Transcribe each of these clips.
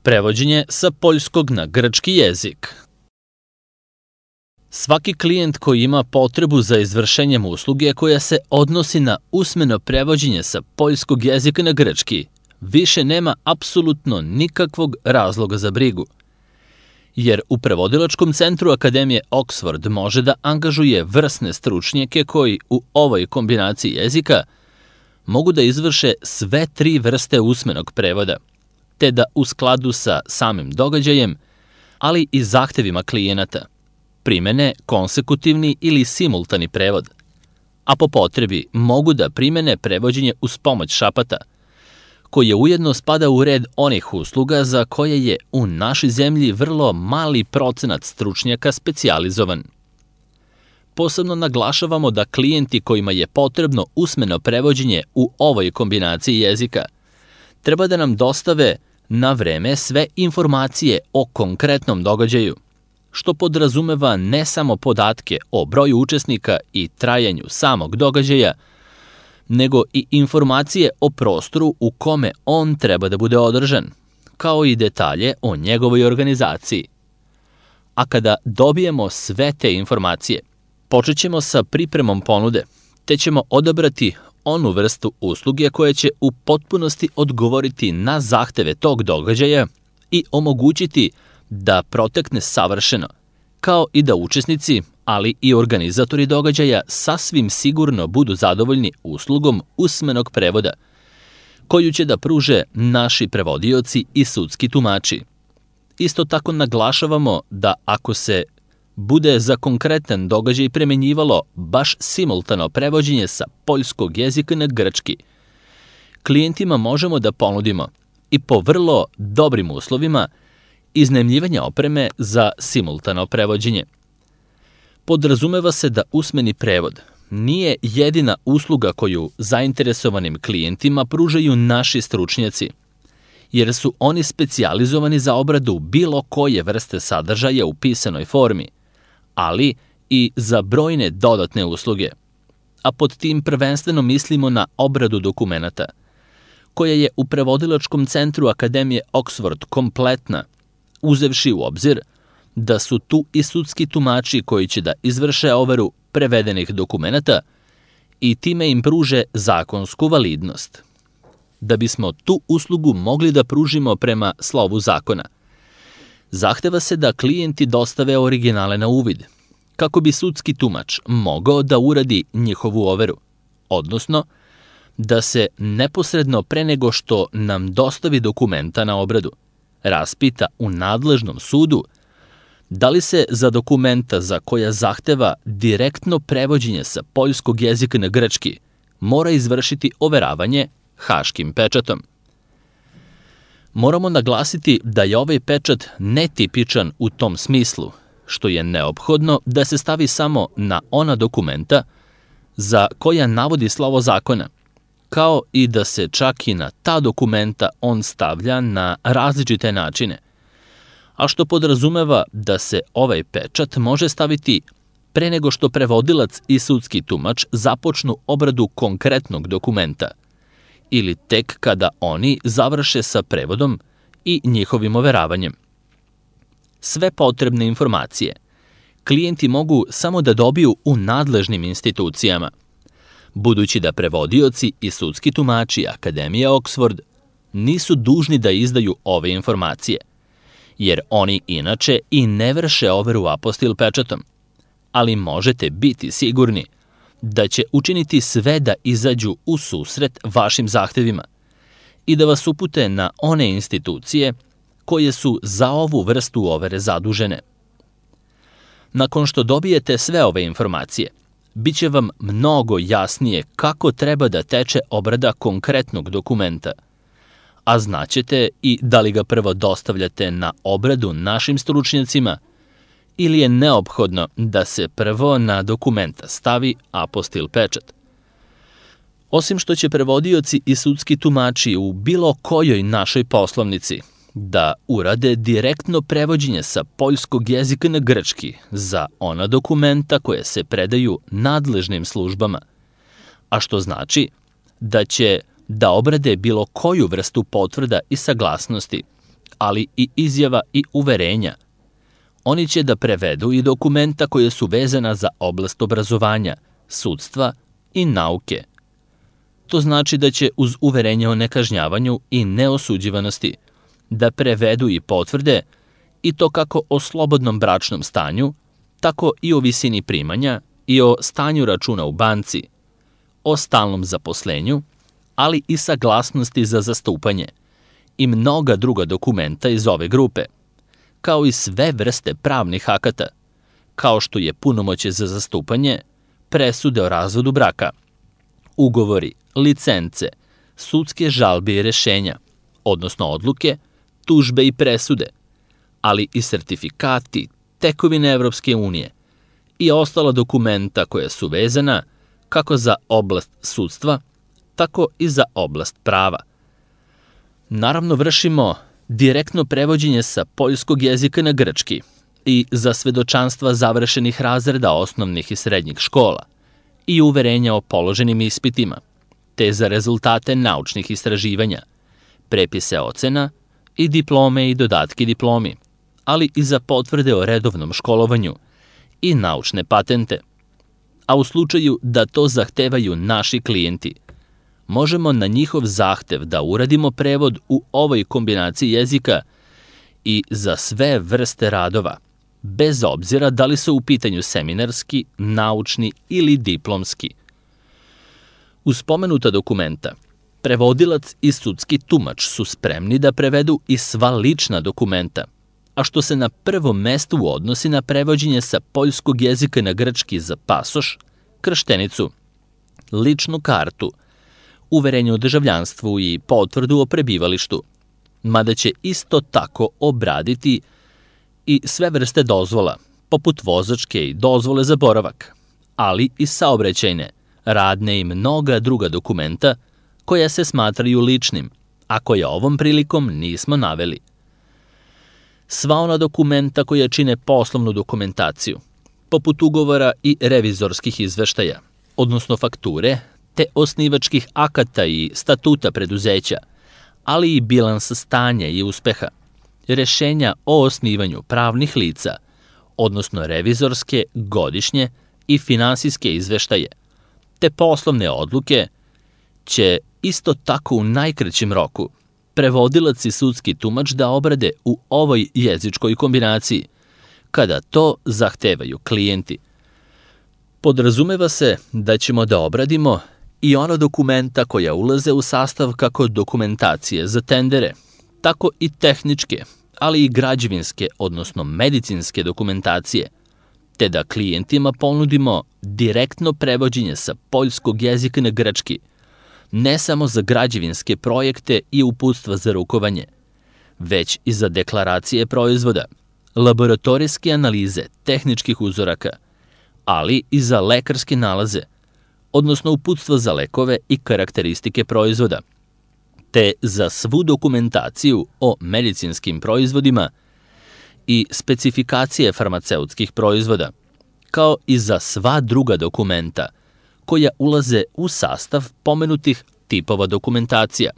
Prevođenje sa poljskog na grčki jezik. Svaki klijent koji ima potrebu za izvršenjem usluge koja se odnosi na usmeno prevođenje sa poljskog jezika na grčki, više nema apsolutno nikakvog razloga za brigu. Jer u prevodilačkom centru Akademije Oxford može da angažuje vrsne stručnjake koji u ovoj kombinaciji jezika mogu da izvrše sve 3 vrste usmenog prevoda, te da u skladu sa samim događajem, ali i zahtevima klijenata, primene konsekutivni ili simultani prevod, a po potrebi mogu da primene prevođenje uz pomoć šapata, koje ujedno spada u red onih usluga za koje je u našoj zemlji vrlo mali procenat stručnjaka specijalizovan. Posebno naglašavamo da klijenti kojima je potrebno usmeno prevođenje u ovoj kombinaciji jezika treba da nam dostave na vreme sve informacije o konkretnom događaju, što podrazumeva ne samo podatke o broju učesnika i trajanju samog događaja, nego i informacije o prostoru u kome on treba da bude održan, kao i detalje o njegovoj organizaciji. A kada dobijemo sve te informacije, počet ćemo sa pripremom ponude, te ćemo odabrati onu vrstu usluge koja će u potpunosti odgovoriti na zahteve tog događaja i omogućiti da protekne savršeno, kao i da učesnici, ali i organizatori događaja sasvim sigurno budu zadovoljni uslugom usmenog prevoda, koju će da pruže naši prevodioci i sudski tumači. Isto tako naglašavamo da ako se bude za konkretan događaj primenjivalo baš simultano prevođenje sa poljskog jezika na grčki, klijentima možemo da ponudimo i po vrlo dobrim uslovima iznajmljivanje opreme za simultano prevođenje. Podrazumeva se da usmeni prevod nije jedina usluga koju zainteresovanim klijentima pružaju naši stručnjaci, jer su oni specijalizovani za obradu bilo koje vrste sadržaja u pisanoj formi, ali i za brojne dodatne usluge, a pod tim prvenstveno mislimo na obradu dokumenata, koja je u prevodilačkom centru Akademije Oxford kompletna, uzevši u obzir da su tu i sudski tumači koji će da izvrše overu prevedenih dokumenata i time im pruže zakonsku validnost. Da bismo tu uslugu mogli da pružimo prema slovu zakona, zahteva se da klijenti dostave originale na uvid, kako bi sudski tumač mogao da uradi njihovu overu, odnosno da se neposredno pre nego što nam dostavi dokumenta na obradu, raspita u nadležnom sudu da li se za dokumenta za koja zahteva direktno prevođenje sa poljskog jezika na grčki mora izvršiti overavanje haškim pečatom. Moramo naglasiti da je ovaj pečat netipičan u tom smislu, što je neophodno da se stavi samo na ona dokumenta za koja navodi slovo zakona, kao i da se čak i na ta dokumenta on stavlja na različite načine, a što podrazumeva da se ovaj pečat može staviti pre nego što prevodilac i sudski tumač započnu obradu konkretnog dokumenta, ili tek kada oni završe sa prevodom i njihovim overavanjem. Sve potrebne informacije klijenti mogu samo da dobiju u nadležnim institucijama, budući da prevodioci i sudski tumači Akademije Oxford nisu dužni da izdaju ove informacije, jer oni inače i ne vrše overu apostil pečatom, ali možete biti sigurni da će učiniti sve da izađu u susret vašim zahtevima i da vas upute na one institucije koje su za ovu vrstu overe zadužene. Nakon što dobijete sve ove informacije, bit će vam mnogo jasnije kako treba da teče obrada konkretnog dokumenta, a znaćete i da li ga prvo dostavljate na obradu našim stručnjacima ili je neophodno da se prvo na dokumenta stavi apostil pečat. Osim što će prevodioci i sudski tumači u bilo kojoj našoj poslovnici da urade direktno prevođenje sa poljskog jezika na grčki za ona dokumenta koje se predaju nadležnim službama, a što znači da će da obrade bilo koju vrstu potvrda i saglasnosti ali i izjava i uverenja. Oni će da prevedu i dokumenta koje su vezana za oblast obrazovanja, sudstva i nauke. To znači da će uz uverenje o nekažnjavanju i neosuđivanosti da prevedu i potvrde i to kako o slobodnom bračnom stanju, tako i o visini primanja i o stanju računa u banci, o stalnom zaposlenju, ali i saglasnosti za zastupanje i mnoga druga dokumenta iz ove grupe, kao i sve vrste pravnih akata, kao što je punomoćje za zastupanje, presude o razvodu braka, ugovori, licence, sudske žalbe i rešenja, odnosno odluke, tužbe i presude, ali i sertifikati, tekovine Evropske unije i ostala dokumenta koja su vezana kako za oblast sudstva, tako i za oblast prava. Naravno, vršimo direktno prevođenje sa poljskog jezika na grčki i za svedočanstva završenih razreda osnovnih i srednjih škola i uverenja o položenim ispitima, te za rezultate naučnih istraživanja, prepise ocena i diplome i dodatke diplomi, ali i za potvrde o redovnom školovanju i naučne patente. A u slučaju da to zahtevaju naši klijenti, možemo na njihov zahtev da uradimo prevod u ovoj kombinaciji jezika i za sve vrste radova, bez obzira da li su u pitanju seminarski, naučni ili diplomski. Uz spomenuta dokumenta, prevodilac i sudski tumač su spremni da prevedu i sva lična dokumenta, a što se na prvom mestu odnosi na prevođenje sa poljskog jezika na grčki za pasoš, krštenicu, ličnu kartu, uverenje o državljanstvu i potvrdu o prebivalištu, mada će isto tako obraditi i sve vrste dozvola, poput vozačke i dozvole za boravak, ali i saobraćajne, radne i mnoga druga dokumenta koja se smatraju ličnim, a koja ovom prilikom nismo naveli. Sva ona dokumenta koja čine poslovnu dokumentaciju, poput ugovora i revizorskih izveštaja, odnosno fakture, te osnivačkih akata i statuta preduzeća, ali i bilansa stanja i uspeha, rešenja o osnivanju pravnih lica, odnosno revizorske, godišnje i finansijske izveštaje, te poslovne odluke, će isto tako u najkraćem roku prevodilac i sudski tumač da obrade u ovoj jezičkoj kombinaciji, kada to zahtevaju klijenti. Podrazumeva se da ćemo da obradimo i ona dokumenta koja ulaze u sastav kako dokumentacije za tendere, tako i tehničke, ali i građevinske, odnosno medicinske dokumentacije, te da klijentima ponudimo direktno prevođenje sa poljskog jezika na grčki, ne samo za građevinske projekte i uputstva za rukovanje, već i za deklaracije proizvoda, laboratorijske analize tehničkih uzoraka, ali i za lekarske nalaze, odnosno uputstva za lekove i karakteristike proizvoda, te za svu dokumentaciju o medicinskim proizvodima i specifikacije farmaceutskih proizvoda, kao i za sva druga dokumenta koja ulaze u sastav pomenutih tipova dokumentacija,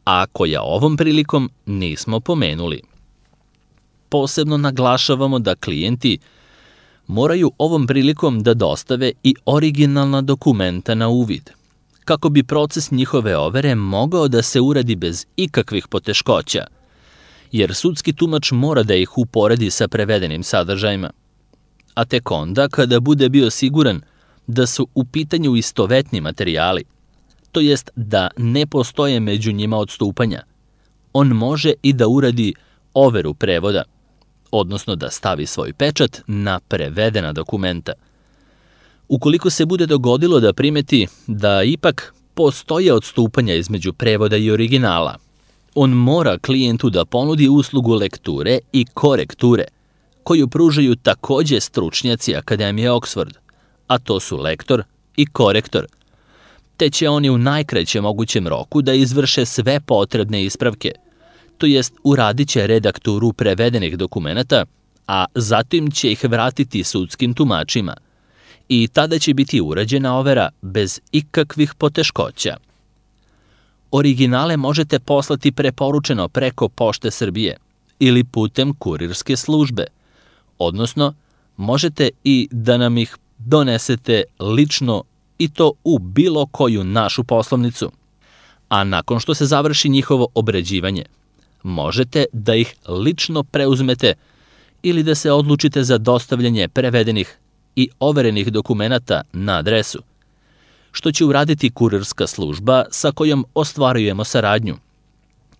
a koja ovom prilikom nismo pomenuli. Posebno naglašavamo da klijenti moraju ovom prilikom da dostave i originalna dokumenta na uvid, kako bi proces njihove overe mogao da se uradi bez ikakvih poteškoća, jer sudski tumač mora da ih uporedi sa prevedenim sadržajima. A tek onda, kada bude bio siguran da su u pitanju istovetni materijali, to jest da ne postoje među njima odstupanja, on može i da uradi overu prevoda, odnosno da stavi svoj pečat na prevedena dokumenta. Ukoliko se bude dogodilo da primeti da ipak postoje odstupanja između prevoda i originala, on mora klijentu da ponudi uslugu lekture i korekture, koju pružaju takođe stručnjaci Akademije Oxford, a to su lektor i korektor, te će oni u najkraćem mogućem roku da izvrše sve potrebne ispravke, to jest uradit će redakturu prevedenih dokumenata, a zatim će ih vratiti sudskim tumačima i tada će biti urađena overa bez ikakvih poteškoća. Originale možete poslati preporučeno preko Pošte Srbije ili putem kurirske službe, odnosno možete i da nam ih donesete lično i to u bilo koju našu poslovnicu. A nakon što se završi njihovo obrađivanje, možete da ih lično preuzmete ili da se odlučite za dostavljanje prevedenih i overenih dokumenata na adresu, što će uraditi kurirska služba sa kojom ostvarujemo saradnju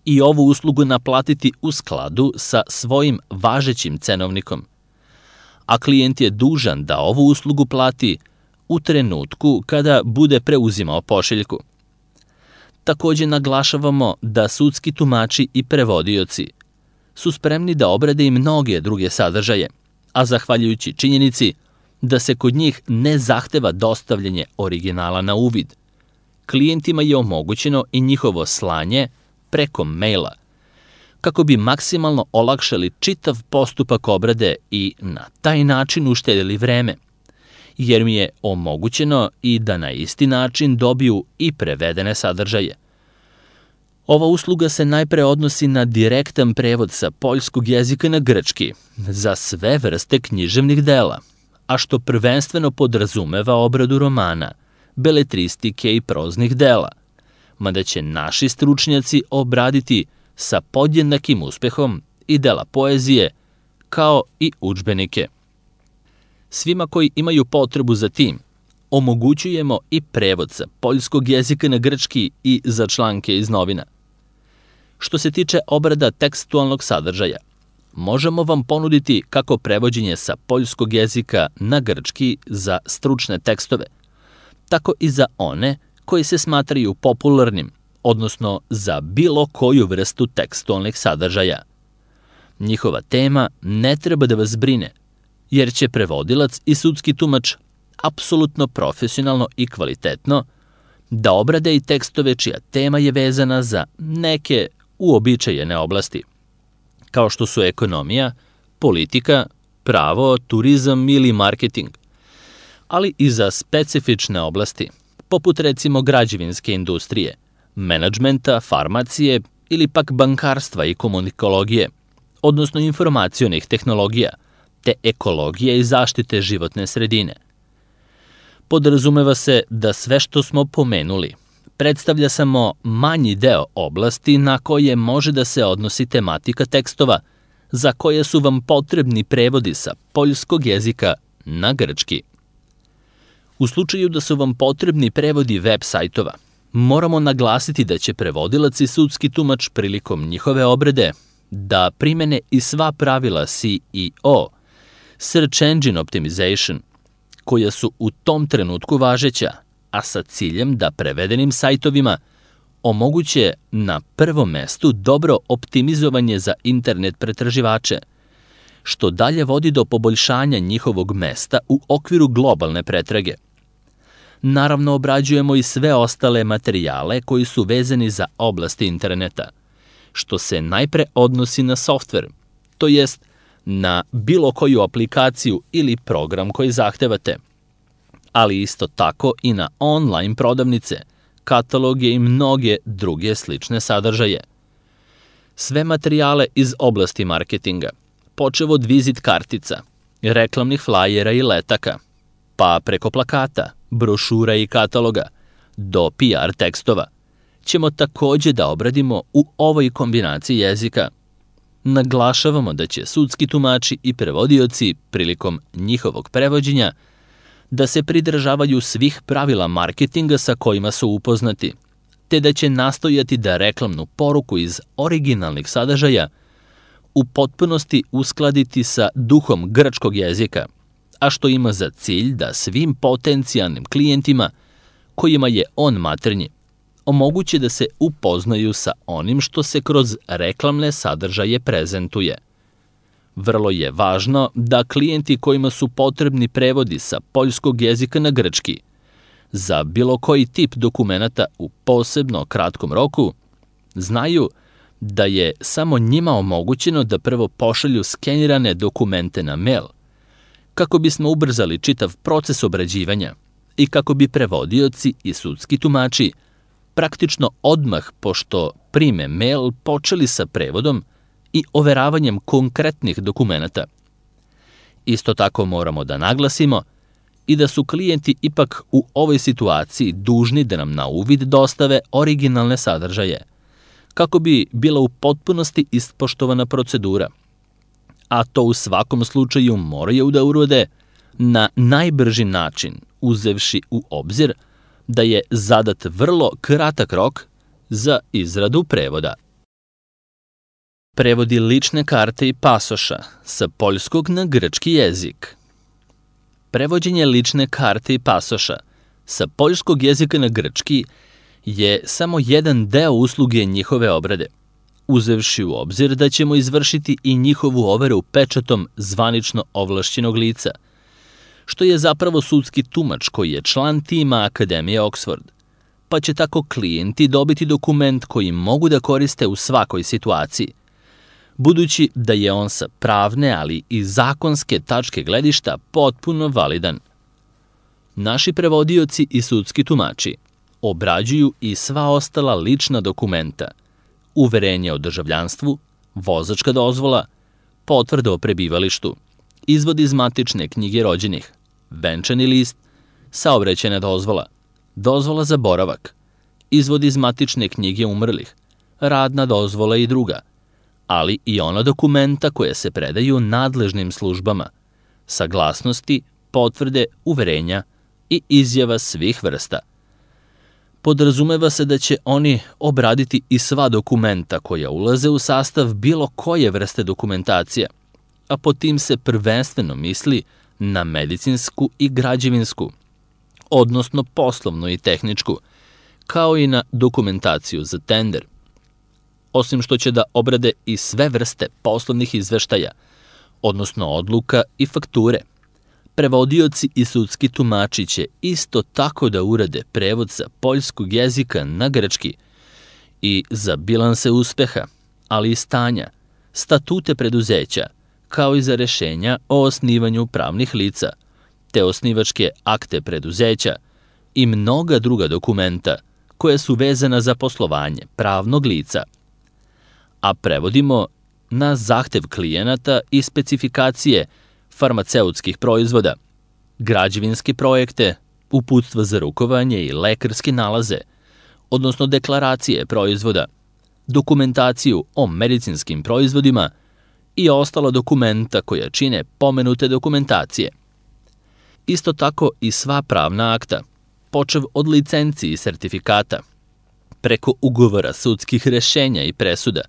i ovu uslugu naplatiti u skladu sa svojim važećim cenovnikom. A klijent je dužan da ovu uslugu plati u trenutku kada bude preuzimao pošiljku. Takođe naglašavamo da sudski tumači i prevodioci su spremni da obrade i mnoge druge sadržaje, a zahvaljujući činjenici da se kod njih ne zahteva dostavljanje originala na uvid, klijentima je omogućeno i njihovo slanje preko maila, kako bi maksimalno olakšali čitav postupak obrade i na taj način uštedili vreme, jer mi je omogućeno i da na isti način dobiju i prevedene sadržaje. Ova usluga se najpre odnosi na direktan prevod sa poljskog jezika na grčki za sve vrste književnih dela, a što prvenstveno podrazumeva obradu romana, beletristike i proznih dela, mada će naši stručnjaci obraditi sa podjednakim uspehom i dela poezije, kao i udžbenike. Svima koji imaju potrebu za tim, omogućujemo i prevod sa poljskog jezika na grčki i za članke iz novina. Što se tiče obrada tekstualnog sadržaja, možemo vam ponuditi kako prevođenje sa poljskog jezika na grčki za stručne tekstove, tako i za one koji se smatraju popularnim, odnosno za bilo koju vrstu tekstualnih sadržaja. Njihova tema ne treba da vas brine, jer će prevodilac i sudski tumač apsolutno profesionalno i kvalitetno da obrade i tekstove čija tema je vezana za neke uobičajene oblasti, kao što su ekonomija, politika, pravo, turizam ili marketing, ali i za specifične oblasti, poput recimo građevinske industrije, menadžmenta, farmacije ili pak bankarstva i komunikologije, odnosno informacionih tehnologija, te ekologije i zaštite životne sredine. Podrazumeva se da sve što smo pomenuli predstavlja samo manji deo oblasti na koje može da se odnosi tematika tekstova za koje su vam potrebni prevodi sa poljskog jezika na grčki. U slučaju da su vam potrebni prevodi web sajtova, moramo naglasiti da će prevodilac i sudski tumač prilikom njihove obrade da primene i sva pravila SEO, Search Engine Optimization, koja su u tom trenutku važeća, a sa ciljem da prevedenim sajtovima omoguće na prvom mestu dobro optimizovanje za internet pretraživače, što dalje vodi do poboljšanja njihovog mesta u okviru globalne pretrage. Naravno, obrađujemo i sve ostale materijale koji su vezani za oblasti interneta, što se najpre odnosi na softver, to jest na bilo koju aplikaciju ili program koji zahtevate, ali isto tako i na online prodavnice, kataloge i mnoge druge slične sadržaje. Sve materijale iz oblasti marketinga, počev od vizit kartica, reklamnih flajera i letaka, pa preko plakata, brošura i kataloga, do PR tekstova, ćemo takođe da obradimo u ovoj kombinaciji jezika. Naglašavamo da će sudski tumači i prevodioci prilikom njihovog prevođenja da se pridržavaju svih pravila marketinga sa kojima su upoznati, te da će nastojati da reklamnu poruku iz originalnih sadržaja u potpunosti uskladiti sa duhom grčkog jezika, a što ima za cilj da svim potencijalnim klijentima, kojima je on maternji, omoguće da se upoznaju sa onim što se kroz reklamne sadržaje prezentuje. Vrlo je važno da klijenti kojima su potrebni prevodi sa poljskog jezika na grčki za bilo koji tip dokumenata u posebno kratkom roku znaju da je samo njima omogućeno da prvo pošalju skenirane dokumente na mail, kako bismo ubrzali čitav proces obrađivanja i kako bi prevodioci i sudski tumači praktično odmah pošto prime mail počeli sa prevodom i overavanjem konkretnih dokumenata. Isto tako moramo da naglasimo i da su klijenti ipak u ovoj situaciji dužni da nam na uvid dostave originalne sadržaje, kako bi bila u potpunosti ispoštovana procedura. A to u svakom slučaju moraju da urode na najbrži način, uzevši u obzir da je zadat vrlo kratak rok za izradu prevoda. Prevodi lične karte i pasoša sa poljskog na grčki jezik. Prevođenje lične karte i pasoša sa poljskog jezika na grčki je samo jedan deo usluge njihove obrade, uzevši u obzir da ćemo izvršiti i njihovu overu pečatom zvanično ovlašćenog lica, što je zapravo sudski tumač koji je član tima Akademije Oxford, pa će tako klijenti dobiti dokument koji mogu da koriste u svakoj situaciji, budući da je on sa pravne, ali i zakonske tačke gledišta potpuno validan. Naši prevodioci i sudski tumači obrađuju i sva ostala lična dokumenta, uverenje o državljanstvu, vozačka dozvola, potvrda o prebivalištu, izvod iz matične knjige rođenih, venčani list, saobraćajna dozvola, dozvola za boravak, izvod iz matične knjige umrlih, radna dozvola i druga, ali i ona dokumenta koje se predaju nadležnim službama, saglasnosti, potvrde, uverenja i izjava svih vrsta. Podrazumeva se da će oni obraditi i sva dokumenta koja ulaze u sastav bilo koje vrste dokumentacije, a pod tim se prvenstveno misli na medicinsku i građevinsku, odnosno poslovnu i tehničku, kao i na dokumentaciju za tender. Osim što će da obrade i sve vrste poslovnih izveštaja, odnosno odluka i fakture, prevodioci i sudski tumači će isto tako da urade prevod sa poljskog jezika na grčki i za bilanse uspeha, ali i stanja, statute preduzeća, kao i za rešenja o osnivanju pravnih lica, te osnivačke akte preduzeća i mnoga druga dokumenta koje su vezana za poslovanje pravnog lica. A prevodimo na zahtev klijenata i specifikacije farmaceutskih proizvoda, građevinske projekte, uputstva za rukovanje i lekarske nalaze, odnosno deklaracije proizvoda, dokumentaciju o medicinskim proizvodima i ostala dokumenta koja čine pomenute dokumentacije. Isto tako i sva pravna akta, počev od licenci i sertifikata, preko ugovora sudskih rešenja i presuda,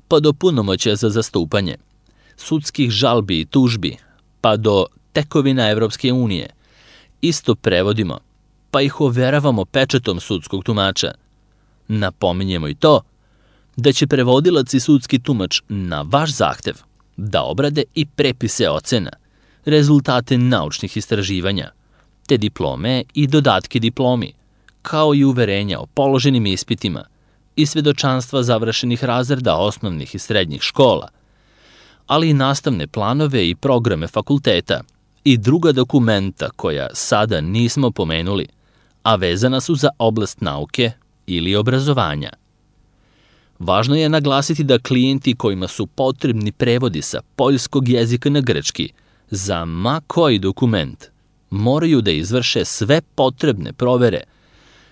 pa do punomoćja za zastupanje, sudskih žalbi i tužbi, pa do tekovina Evropske unije, isto prevodimo, pa ih overavamo pečatom sudskog tumača. Napominjemo i to da će prevodilac i sudski tumač na vaš zahtev da obrade i prepise ocena, rezultate naučnih istraživanja, te diplome i dodatke diplomi, kao i uverenja o položenim ispitima i svedočanstva završenih razreda osnovnih i srednjih škola, ali i nastavne planove i programe fakulteta i druga dokumenta koja sada nismo pomenuli, a vezana su za oblast nauke ili obrazovanja. Važno je naglasiti da klijenti kojima su potrebni prevodi sa poljskog jezika na grčki za ma koji dokument moraju da izvrše sve potrebne provere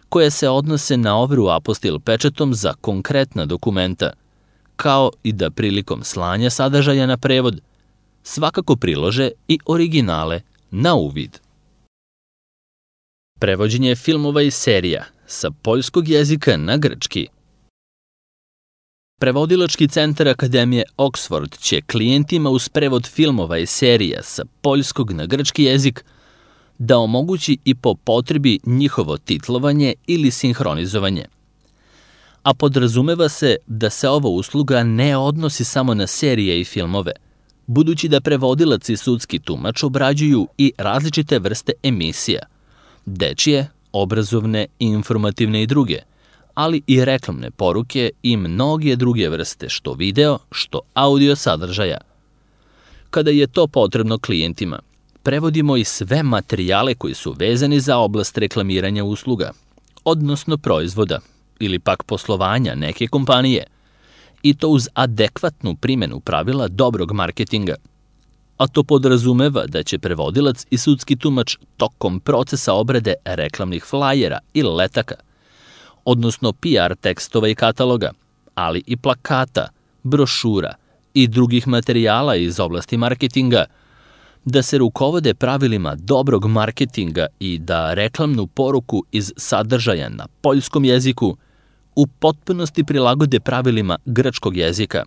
koje se odnose na overu apostil pečatom za konkretna dokumenta, kao i da prilikom slanja sadržaja na prevod svakako prilože i originale na uvid. Prevođenje filmova i serija sa poljskog jezika na grčki. Prevodilački centar Akademije Oxford će klijentima uz prevod filmova i serija sa poljskog na grčki jezik da omogući i po potrebi njihovo titlovanje ili sinhronizovanje. A podrazumeva se da se ova usluga ne odnosi samo na serije i filmove, budući da prevodilac i sudski tumač obrađuju i različite vrste emisija, dečije, obrazovne, informativne i druge, ali i reklamne poruke i mnoge druge vrste što video, što audio sadržaja. Kada je to potrebno klijentima, prevodimo i sve materijale koji su vezani za oblast reklamiranja usluga, odnosno proizvoda ili pak poslovanja neke kompanije, i to uz adekvatnu primjenu pravila dobrog marketinga. A to podrazumeva da će prevodilac i sudski tumač tokom procesa obrade reklamnih flajera ili letaka, odnosno PR tekstova i kataloga, ali i plakata, brošura i drugih materijala iz oblasti marketinga, da se rukovode pravilima dobrog marketinga i da reklamnu poruku iz sadržaja na poljskom jeziku u potpunosti prilagode pravilima grčkog jezika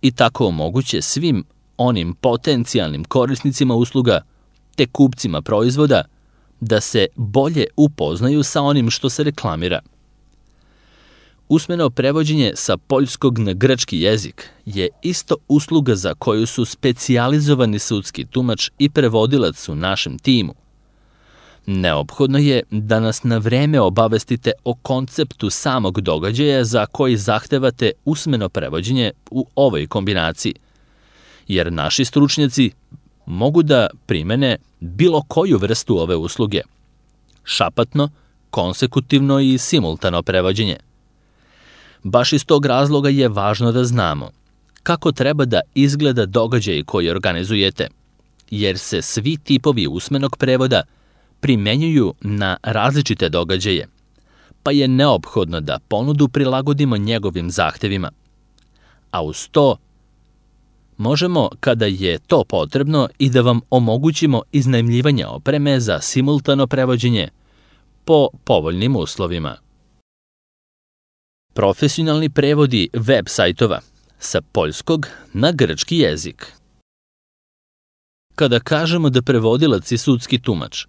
i tako omoguće svim onim potencijalnim korisnicima usluga te kupcima proizvoda da se bolje upoznaju sa onim što se reklamira. Usmeno prevođenje sa poljskog na grčki jezik je isto usluga za koju su specijalizovani sudski tumač i prevodilac u našem timu. Neophodno je da nas na vreme obavestite o konceptu samog događaja za koji zahtevate usmeno prevođenje u ovoj kombinaciji, jer naši stručnjaci mogu da primene bilo koju vrstu ove usluge, šapatno, konsekutivno i simultano prevođenje. Baš iz tog razloga je važno da znamo kako treba da izgleda događaj koji organizujete, jer se svi tipovi usmenog prevoda primenjuju na različite događaje, pa je neophodno da ponudu prilagodimo njegovim zahtevima. A uz to, možemo, kada je to potrebno, i da vam omogućimo iznajmljivanje opreme za simultano prevođenje po povoljnim uslovima. Profesionalni prevodi web sajtova sa poljskog na grčki jezik. Kada kažemo da prevodilac i sudski tumač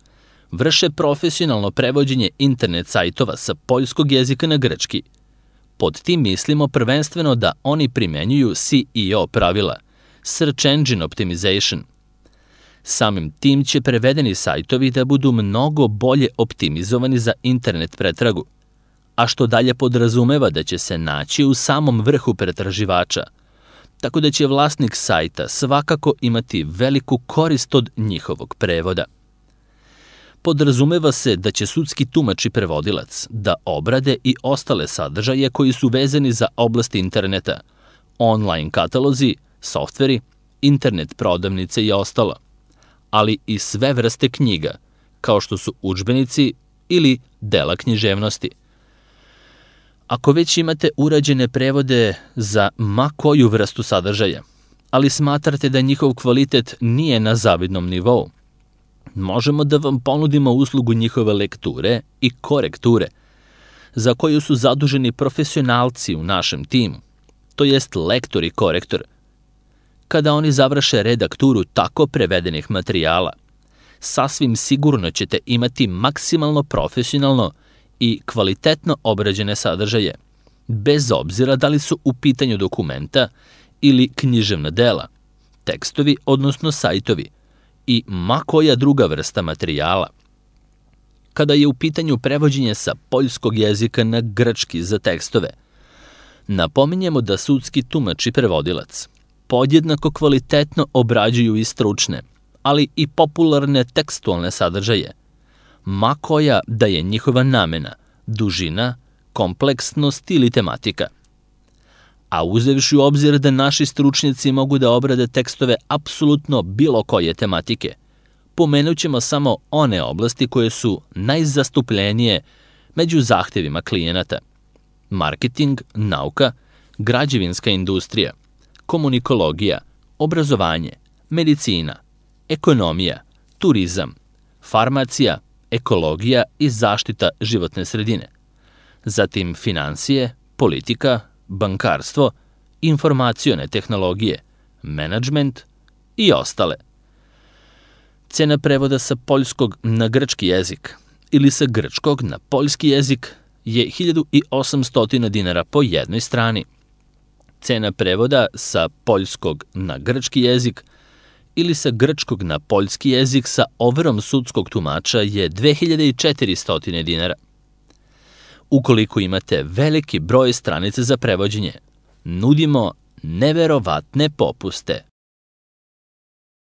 vrše profesionalno prevođenje internet sajtova sa poljskog jezika na grčki, pod tim mislimo prvenstveno da oni primenjuju SEO pravila, Search Engine Optimization. Samim tim će prevedeni sajtovi da budu mnogo bolje optimizovani za internet pretragu, a što dalje podrazumeva da će se naći u samom vrhu pretraživača, tako da će vlasnik sajta svakako imati veliku korist od njihovog prevoda. Podrazumeva se da će sudski tumač i prevodilac da obrade i ostale sadržaje koji su vezani za oblast interneta, online katalozi, softveri, internet prodavnice i ostalo, ali i sve vrste knjiga, kao što su udžbenici ili dela književnosti. Ako već imate urađene prevode za ma koju vrstu sadržaja, ali smatrate da njihov kvalitet nije na zavidnom nivou, možemo da vam ponudimo uslugu njihove lekture i korekture, za koju su zaduženi profesionalci u našem timu, to jest lektor i korektor. Kada oni završe redakturu tako prevedenih materijala, sasvim sigurno ćete imati maksimalno profesionalno i kvalitetno obrađene sadržaje, bez obzira da li su u pitanju dokumenta ili književna dela, tekstovi odnosno sajtovi i ma koja druga vrsta materijala. Kada je u pitanju prevođenje sa poljskog jezika na grčki za tekstove, napominjemo da sudski tumač i prevodilac podjednako kvalitetno obrađuju i stručne, ali i popularne tekstualne sadržaje, ma koja da je njihova namena, dužina, kompleksnost ili tematika. A uzevši u obzir da naši stručnjaci mogu da obrade tekstove apsolutno bilo koje tematike, pomenut ćemo samo one oblasti koje su najzastupljenije među zahtevima klijenata: marketing, nauka, građevinska industrija, komunikologija, obrazovanje, medicina, ekonomija, turizam, farmacija, ekologija i zaštita životne sredine, zatim finansije, politika, bankarstvo, informacione tehnologije, menadžment i ostale. Cena prevoda sa poljskog na grčki jezik ili sa grčkog na poljski jezik je 1800 dinara po jednoj strani. Cena prevoda sa poljskog na grčki jezik ili sa grčkog na poljski jezik sa overom sudskog tumača je 2400 dinara. Ukoliko imate veliki broj stranica za prevođenje, nudimo neverovatne popuste.